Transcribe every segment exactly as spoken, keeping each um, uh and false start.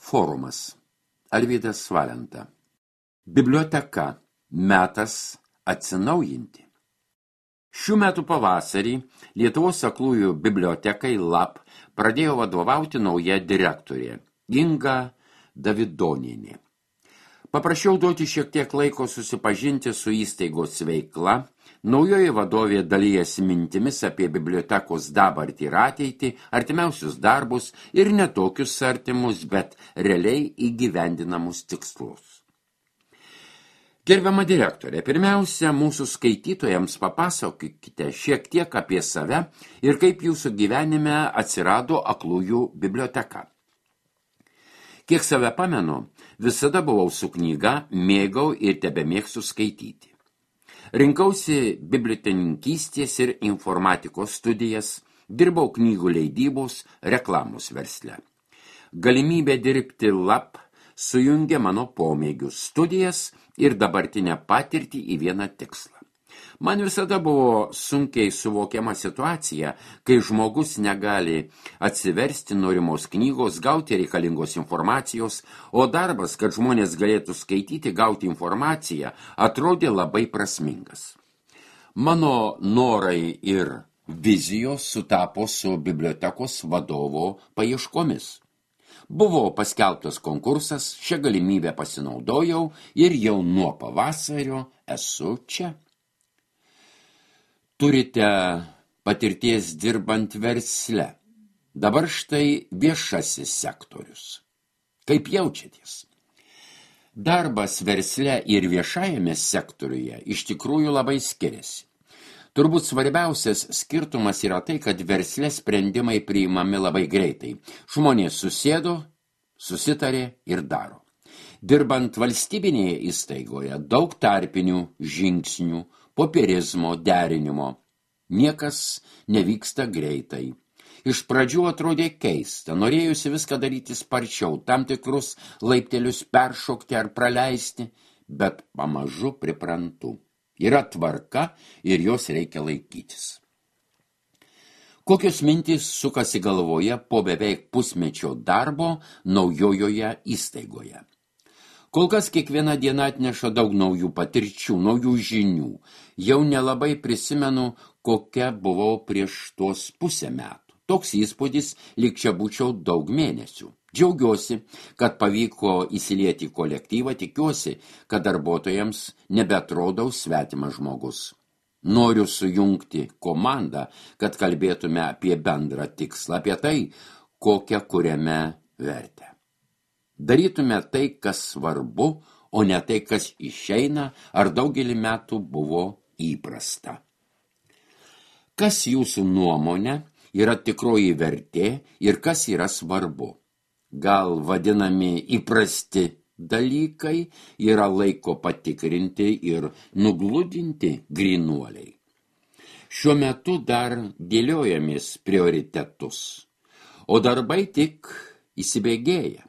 Forumas. Alvydas Valenta. Biblioteka. Metas atsinaujinti. Šių metų pavasarį Lietuvos aklųjų bibliotekai LAP pradėjo vadovauti nauja direktorė Inga Davidonienė. Paprašiau duoti šiek tiek laiko susipažinti su įstaigos veikla. Naujoji vadovė dalijasi mintimis apie bibliotekos dabartį ir ateitį, artimiausius darbus ir netokius artimus, bet realiai įgyvendinamus tikslus. Gerbiama direktorė, pirmiausia, mūsų skaitytojams papasakokite šiek tiek apie save ir kaip jūsų gyvenime atsirado aklųjų biblioteka. Kiek save pamenu, visada buvau su knyga, mėgau ir tebemėgstu skaityti. Rinkausi bibliotekininkystės ir informatikos studijas, dirbau knygų leidybos, reklamos versle. Galimybė dirbti LAP sujungė mano pomėgius, studijas ir dabartinę patirtį į vieną tikslą. Man visada buvo sunkiai suvokiama situacija, kai žmogus negali atsiversti norimos knygos, gauti reikalingos informacijos, o darbas, kad žmonės galėtų skaityti, gauti informaciją, atrodė labai prasmingas. Mano norai ir vizijos sutapo su bibliotekos vadovo paieškomis. Buvo paskelbtas konkursas, šią galimybę pasinaudojau ir jau nuo pavasario esu čia. Turite patirties dirbant versle. Dabar štai viešasis sektorius. Kaip jaučiatės? Darbas versle ir viešajame sektoriuje iš tikrųjų labai skiriasi. Turbūt svarbiausias skirtumas yra tai, kad versle sprendimai priimami labai greitai. Žmonės susėdo, susitarė ir daro. Dirbant valstybinėje įstaigoje daug tarpinių žingsnių, popierizmo, derinimo. Niekas nevyksta greitai. Iš pradžių atrodė keista, norėjusi viską daryti sparčiau, tam tikrus laiptelius peršokti ar praleisti, bet pamažu priprantu. Yra tvarka ir jos reikia laikytis. Kokios mintys sukasi galvoje po beveik pusmečio darbo naujojoje įstaigoje? Kol kas kiekviena diena atneša daug naujų patirčių, naujų žinių. Jau nelabai prisimenu, kokia buvau prieš tuos pusę metų. Toks įspūdis, lyg čia būčiau daug mėnesių. Džiaugiuosi, kad pavyko įsilieti į kolektyvą, tikiuosi, kad darbuotojams nebetrodau svetimas žmogus. Noriu sujungti komandą, kad kalbėtume apie bendrą tikslą, apie tai, kokią kuriame vertę. Darytume tai, kas svarbu, o ne tai, kas išeina ar daugelį metų buvo įprasta. Kas jūsų nuomonė yra tikroji vertė ir kas yra svarbu? Gal vadinami įprasti dalykai yra laiko patikrinti ir nugludinti grynuoliai. Šiuo metu dar dėliojamės prioritetus, o darbai tik įsibėgėja.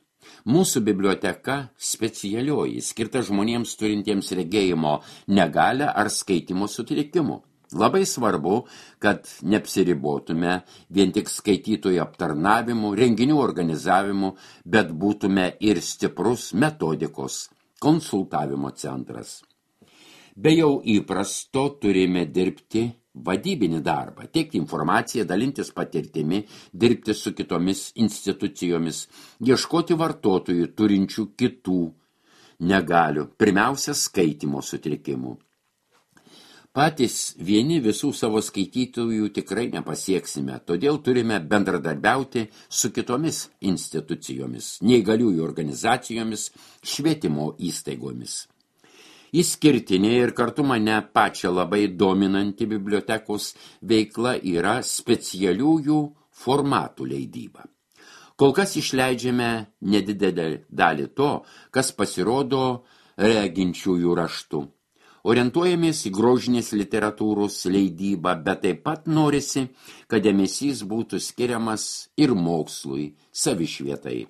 Mūsų biblioteka specialioji, skirta žmonėms turintiems regėjimo negalią ar skaitimo sutrikimų. Labai svarbu, kad neapsiribotume vien tik skaitytojų aptarnavimu, renginių organizavimu, bet būtume ir stiprus metodikos, konsultavimo centras. Be jau įprasto turime dirbti vadybinį darbą, teikti informaciją, dalintis patirtimi, dirbti su kitomis institucijomis, ieškoti vartotojų turinčių kitų negalių, pirmiausia skaitymo sutrikimų. Patys vieni visų savo skaitytojų tikrai nepasieksime, todėl turime bendradarbiauti su kitomis institucijomis, neįgaliųjų organizacijomis, švietimo įstaigomis. Išskirtinė ir kartu mane pačią labai dominanti bibliotekos veikla yra specialiųjų formatų leidyba. Kol kas išleidžiame nedidelę dalį to, kas pasirodo reginčiųjų raštu. Orientuojamės į grožinės literatūros leidybą, bet taip pat norisi, kad dėmesys būtų skiriamas ir mokslui, savišvietai.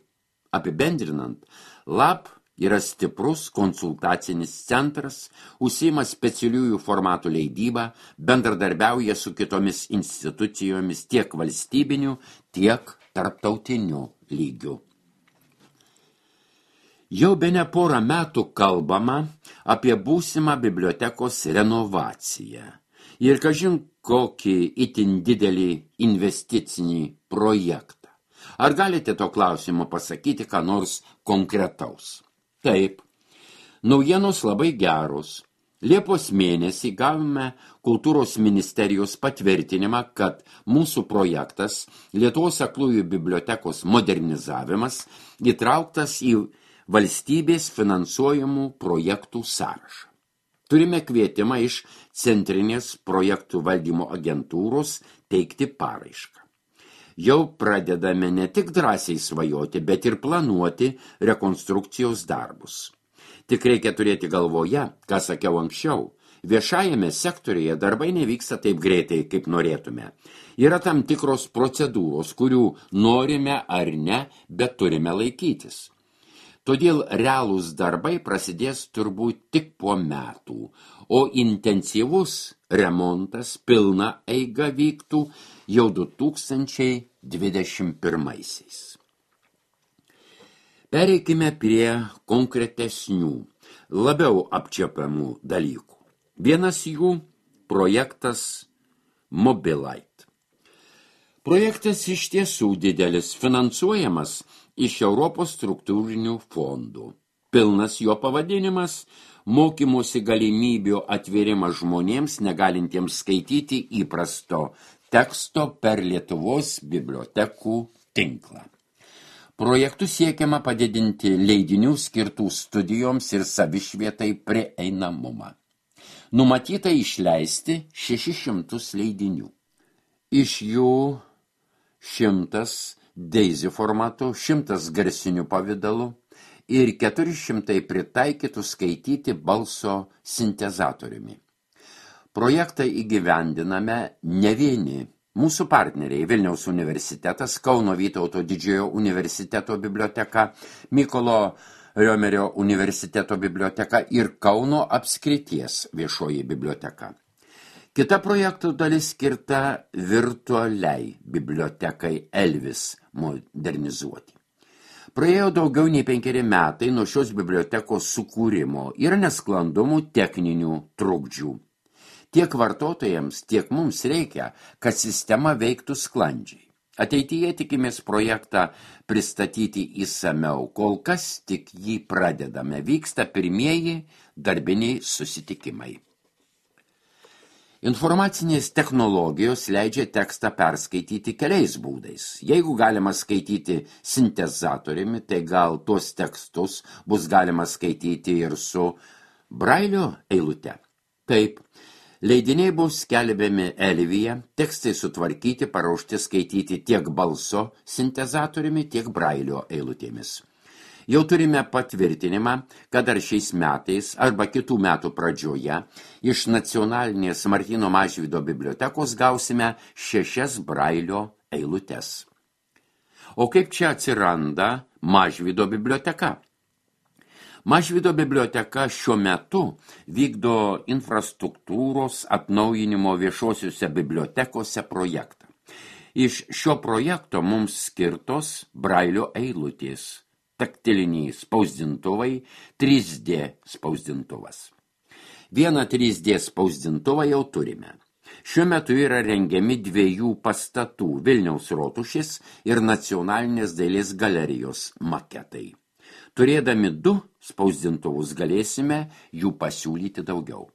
Apibendrinant, LAP yra stiprus konsultacinis centras, užsiima specialiųjų formatų leidybą, bendradarbiauja su kitomis institucijomis tiek valstybiniu, tiek tarptautiniu lygiu. Jau bene porą metų kalbama apie būsimą bibliotekos renovaciją ir kažin kokį itin didelį investicinį projektą. Ar galite to klausimo pasakyti ką nors konkretaus? Taip, naujienos labai geros. Liepos mėnesį gavome Kultūros ministerijos patvirtinimą, kad mūsų projektas Lietuvos aklųjų bibliotekos modernizavimas įtrauktas į valstybės finansuojamų projektų sąrašą. Turime kvietimą iš Centrinės projektų valdymo agentūros teikti paraišką. Jau pradedame ne tik drąsiai svajoti, bet ir planuoti rekonstrukcijos darbus. Tik reikia turėti galvoje, ką sakiau anksčiau, viešajame sektoriuje darbai nevyksta taip greitai, kaip norėtume. Yra tam tikros procedūros, kurių norime ar ne, bet turime laikytis. Todėl realūs darbai prasidės turbūt tik po metų, o intensyvus remontas pilna eiga vyktų jau du tūkstančiai dvidešimt pirmaisiais. Pereikime prie konkretesnių, labiau apčiuopiamų dalykų. Vienas jų – projektas Mobilite. Projektas iš tiesų didelis, finansuojamas iš Europos struktūrinių fondų. Pilnas jo pavadinimas – mokymosi galimybių atvėrimas žmonėms negalintiems skaityti įprasto teksto per Lietuvos bibliotekų tinklą. Projektu siekiama padidinti leidinių skirtų studijoms ir savišvietai prieinamumą. Numatyta išleisti šešis šimtus leidinių. Iš jų šimtas Daisy formatu, šimtas garsiniu pavidalu ir keturi šimtai pritaikytų skaityti balso sintezatoriumi. Projektą įgyvendiname ne vieni. Mūsų partneriai Vilniaus universitetas, Kauno Vytauto Didžiojo universiteto biblioteka, Mykolo Riomerio universiteto biblioteka ir Kauno apskrities viešoji biblioteka. Kita projektų dalis skirta virtualiai bibliotekai Elvis modernizuoti. Praėjo daugiau nei penkeri metai nuo šios bibliotekos sukūrimo ir nesklandumų techninių trukdžių. Tiek vartotojams, tiek mums reikia, kad sistema veiktų sklandžiai. Ateityje tikimės projektą pristatyti įsamiau, kol kas tik jį pradedame, vyksta pirmieji darbiniai susitikimai. Informacinės technologijos leidžia tekstą perskaityti keliais būdais. Jeigu galima skaityti sintezatoriumi, tai gal tuos tekstus bus galima skaityti ir su brailio eilute. Taip. Leidiniai bus skelbiami Elvyje, tekstai sutvarkyti, paruošti skaityti tiek balso sintezatoriumi, tiek brailio eilutėmis. Jau turime patvirtinimą, kad ar šiais metais arba kitų metų pradžioje iš nacionalinės Martyno Mažvydo bibliotekos gausime šešias brailio eilutes. O kaip čia atsiranda Mažvydo biblioteka? Mažvydo biblioteka šiuo metu vykdo infrastruktūros atnaujinimo viešosiuose bibliotekose projektą. Iš šio projekto mums skirtos brailio eilutės, taktiliniai spausdintuvai, trys D spausdintuvas. Vieną trys D spausdintuvą jau turime. Šiuo metu yra rengiami dviejų pastatų Vilniaus rotušės ir Nacionalinės dailės galerijos maketai. Turėdami du spausdintuvus galėsime jų pasiūlyti daugiau.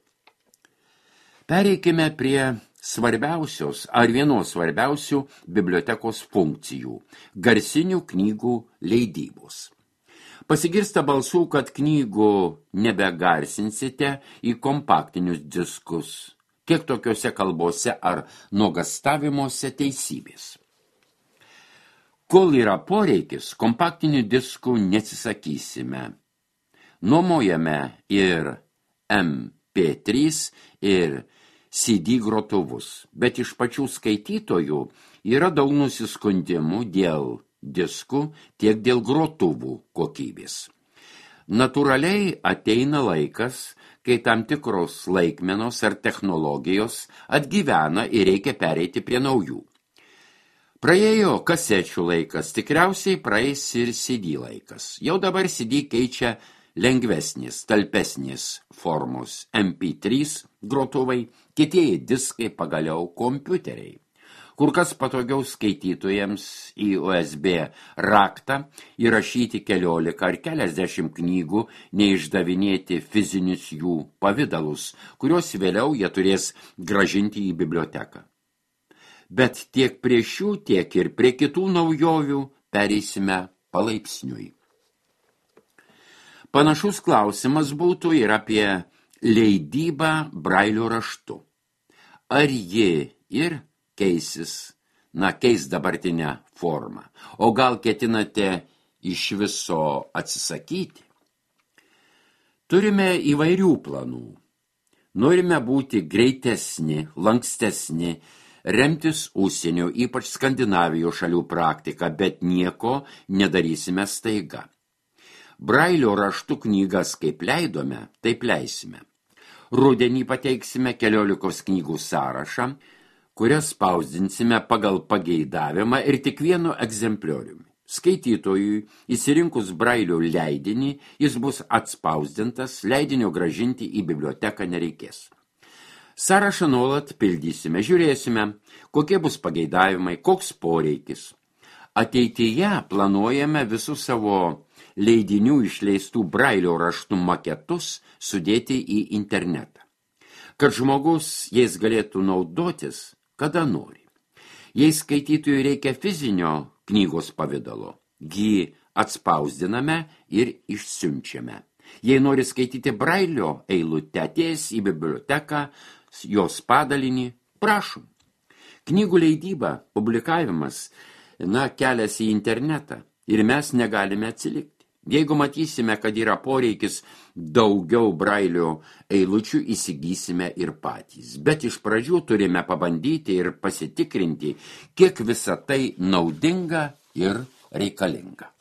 Pereikime prie svarbiausios ar vienos svarbiausių bibliotekos funkcijų – garsinių knygų leidybos. Pasigirsta balsų, kad knygų nebegarsinsite į kompaktinius diskus, kiek tokiuose kalbose ar nuogastavimuose teisybės. Kol yra poreikis, kompaktinių diskų neatsisakysime. Nuomojame ir M P trys ir C D grotuvus, bet iš pačių skaitytojų yra daug nusiskundimų dėl diskų, tiek dėl grotuvų kokybės. Natūraliai ateina laikas, kai tam tikros laikmenos ar technologijos atgyvena ir reikia pereiti prie naujų. Praėjo kasečių laikas, tikriausiai praeis ir C D laikas. Jau dabar C D keičia lengvesnės, talpesnės formos M P trys grotuvai, kietieji diskai, pagaliau kompiuteriai. Kur kas patogiau skaitytojams į U S B raktą įrašyti keliolika ar keliasdešimt knygų, neišdavinėti fizinius jų pavidalus, kuriuos vėliau jie turės grąžinti į biblioteką. Bet tiek prie šių, tiek ir prie kitų naujovių pereisime palaipsniui. Panašus klausimas būtų ir apie leidybą Brailio raštu. Ar ji ir keisis, na, keis dabartinę formą, o gal ketinate iš viso atsisakyti? Turime įvairių planų. Norime būti greitesni, lankstesni, remtis užsienio, ypač Skandinavijos šalių praktiką, bet nieko nedarysime staiga. Brailio raštų knygas kaip leidome, taip leisime. Rudenį pateiksime keliolikos knygų sąrašą, kurias spausdinsime pagal pageidavimą ir tik vienu egzemplioriumi. Skaitytojui, įsirinkus Brailio leidinį, jis bus atspausdintas, leidinio grąžinti į biblioteką nereikės. Sąrašą nuolat pildysime, žiūrėsime, kokie bus pageidavimai, koks poreikis. Ateityje planuojame visus savo leidinių išleistų Brailio raštų maketus sudėti į internetą, kad žmogus jais galėtų naudotis, kada nori. Jei skaitytojui reikia fizinio knygos pavidalo, jį atspausdiname ir išsiunčiame. Jei nori skaityti Brailio eilutę, atėjęs į biblioteką, jos padalinį, prašom. Knygų leidyba, publikavimas, na, kelias į internetą ir mes negalime atsilikti. Jeigu matysime, kad yra poreikis daugiau Brailio eilučių, įsigysime ir patys. Bet iš pradžių turime pabandyti ir pasitikrinti, kiek visa tai naudinga ir reikalinga.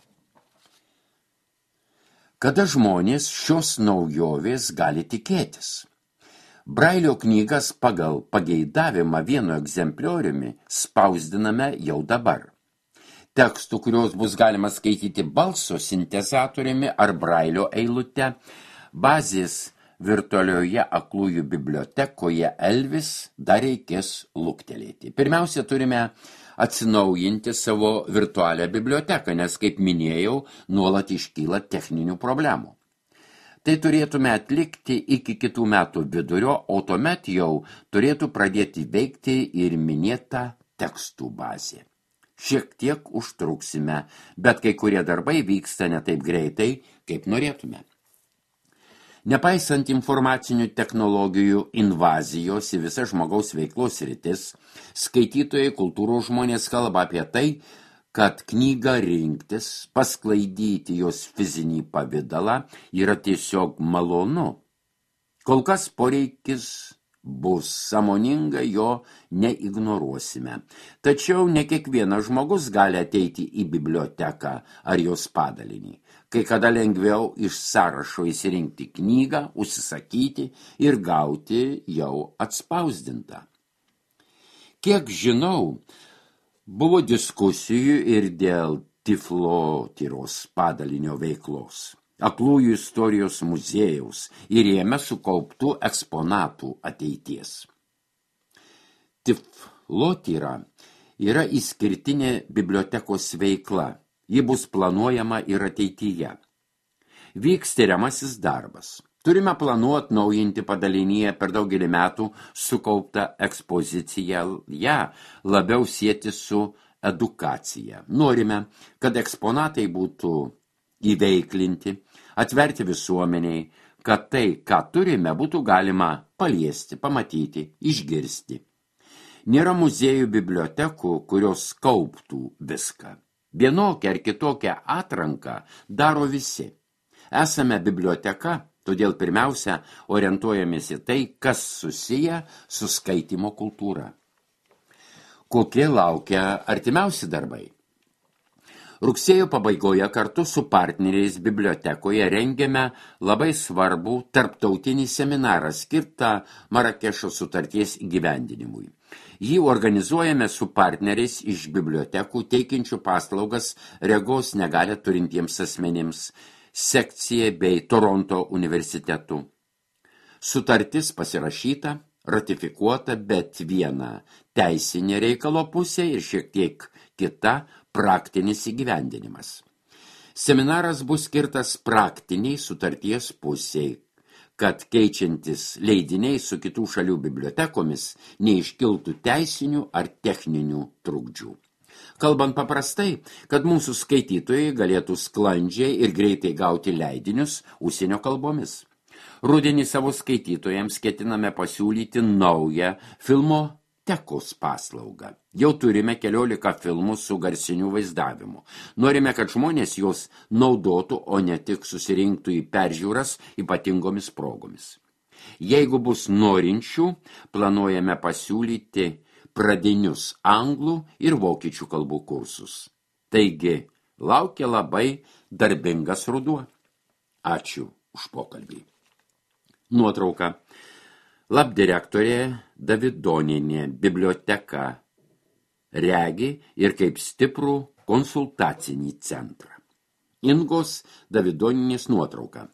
Kada žmonės šios naujovės gali tikėtis? Brailio knygas pagal pageidavimą vienu egzemplioriumi spausdiname jau dabar. Tekstų, kurios bus galima skaityti balso sintezatoriumi ar Brailio eilute, bazės virtualioje aklųjų bibliotekoje Elvis dar reikės luktelėti. Pirmiausia, turime atsinaujinti savo virtualią biblioteką, nes, kaip minėjau, nuolat iškyla techninių problemų. Tai turėtume atlikti iki kitų metų vidurio, o tuomet jau turėtų pradėti veikti ir minėta tekstų bazė. Šiek tiek užtruksime, bet kai kurie darbai vyksta ne taip greitai, kaip norėtume. Nepaisant informacinių technologijų invazijos į visą žmogaus veiklos sritis, skaitytojai, kultūros žmonės kalba apie tai, kad knygą rinktis, pasklaidyti jos fizinį pavidalą yra tiesiog malonu. Kol kas poreikis bus, sąmoningai jo neignoruosime. Tačiau ne kiekvienas žmogus gali ateiti į biblioteką ar jos padalinį. Kai kada lengviau iš sąrašo įsirinkti knygą, užsisakyti ir gauti jau atspausdintą. Kiek žinau, buvo diskusijų ir dėl Tiflotyros padalinio veiklos, aklųjų istorijos muziejaus ir jame sukauptų eksponatų ateities. Tiflotyra yra išskirtinė bibliotekos veikla, ji bus planuojama ir ateityje. Vyks tiriamasis darbas. Turime planuoti naujinti padalinyje per daugelį metų sukauptą ekspoziciją, ją labiau sieti su edukacija. Norime, kad eksponatai būtų įveiklinti, atverti visuomeniai, kad tai, ką turime, būtų galima paliesti, pamatyti, išgirsti. Nėra muziejų bibliotekų, kurios kauptų viską. Vienokią ar kitokią atranką daro visi. Esame biblioteka, todėl pirmiausia orientuojamės į tai, kas susiję su skaitymo kultūra. Kokie laukia artimiausi darbai? Rugsėjo pabaigoje kartu su partneriais bibliotekoje rengiame labai svarbų tarptautinį seminarą skirtą Marakešo sutarties įgyvendinimui. Jį organizuojame su partneriais iš bibliotekų teikiančių paslaugas regos negalią turintiems asmenims, sekcija bei Toronto universitetu. Sutartis pasirašyta, ratifikuota, bet viena teisinė reikalo pusė ir šiek tiek kita praktinis įgyvendinimas. Seminaras bus skirtas praktiniai sutarties pusiai, kad keičiantis leidiniai su kitų šalių bibliotekomis neiškiltų teisinių ar techninių trukdžių. Kalbant paprastai, kad mūsų skaitytojai galėtų sklandžiai ir greitai gauti leidinius užsienio kalbomis. Rudenį savo skaitytojams ketiname pasiūlyti naują filmotekos paslaugą. Jau turime keliolika filmų su garsiniu vaizdavimu. Norime, kad žmonės juos naudotų, o ne tik susirinktų į peržiūras ypatingomis progomis. Jeigu bus norinčių, planuojame pasiūlyti pradinius anglų ir vokiečių kalbų kursus. Taigi, laukia labai darbingas ruduo. Ačiū už pokalbį. Nuotrauka. Labdirektorė Davidonienė, biblioteka, regi ir kaip stiprų konsultacinį centrą. Ingos Davidonienės nuotrauka.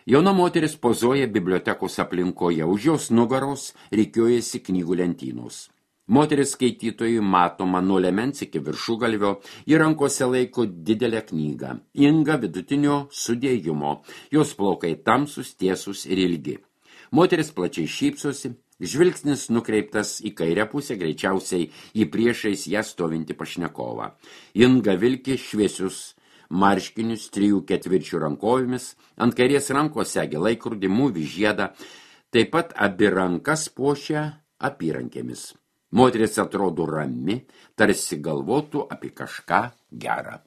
Jauna moteris pozuoja bibliotekos aplinkoje, už jos nugaros rikiuojasi knygų lentynos. Moteris skaitytojui matoma nuo liemens iki viršugalvio, į rankose laiko didelę knygą. Inga vidutinio sudėjimo, jos plaukai tamsus, tiesus ir ilgi. Moteris plačiai šypsosi, žvilgsnis nukreiptas į kairę pusę, greičiausiai į priešais ją stovinti pašnekovą. Inga vilki šviesius marškinius trijų ketvirčių rankovėmis, ant kairės rankos segi laikrodį, mūvį žiedą, taip pat abi rankas puošia apyrankėmis. Moteris atrodo rami, tarsi galvotų apie kažką gerą.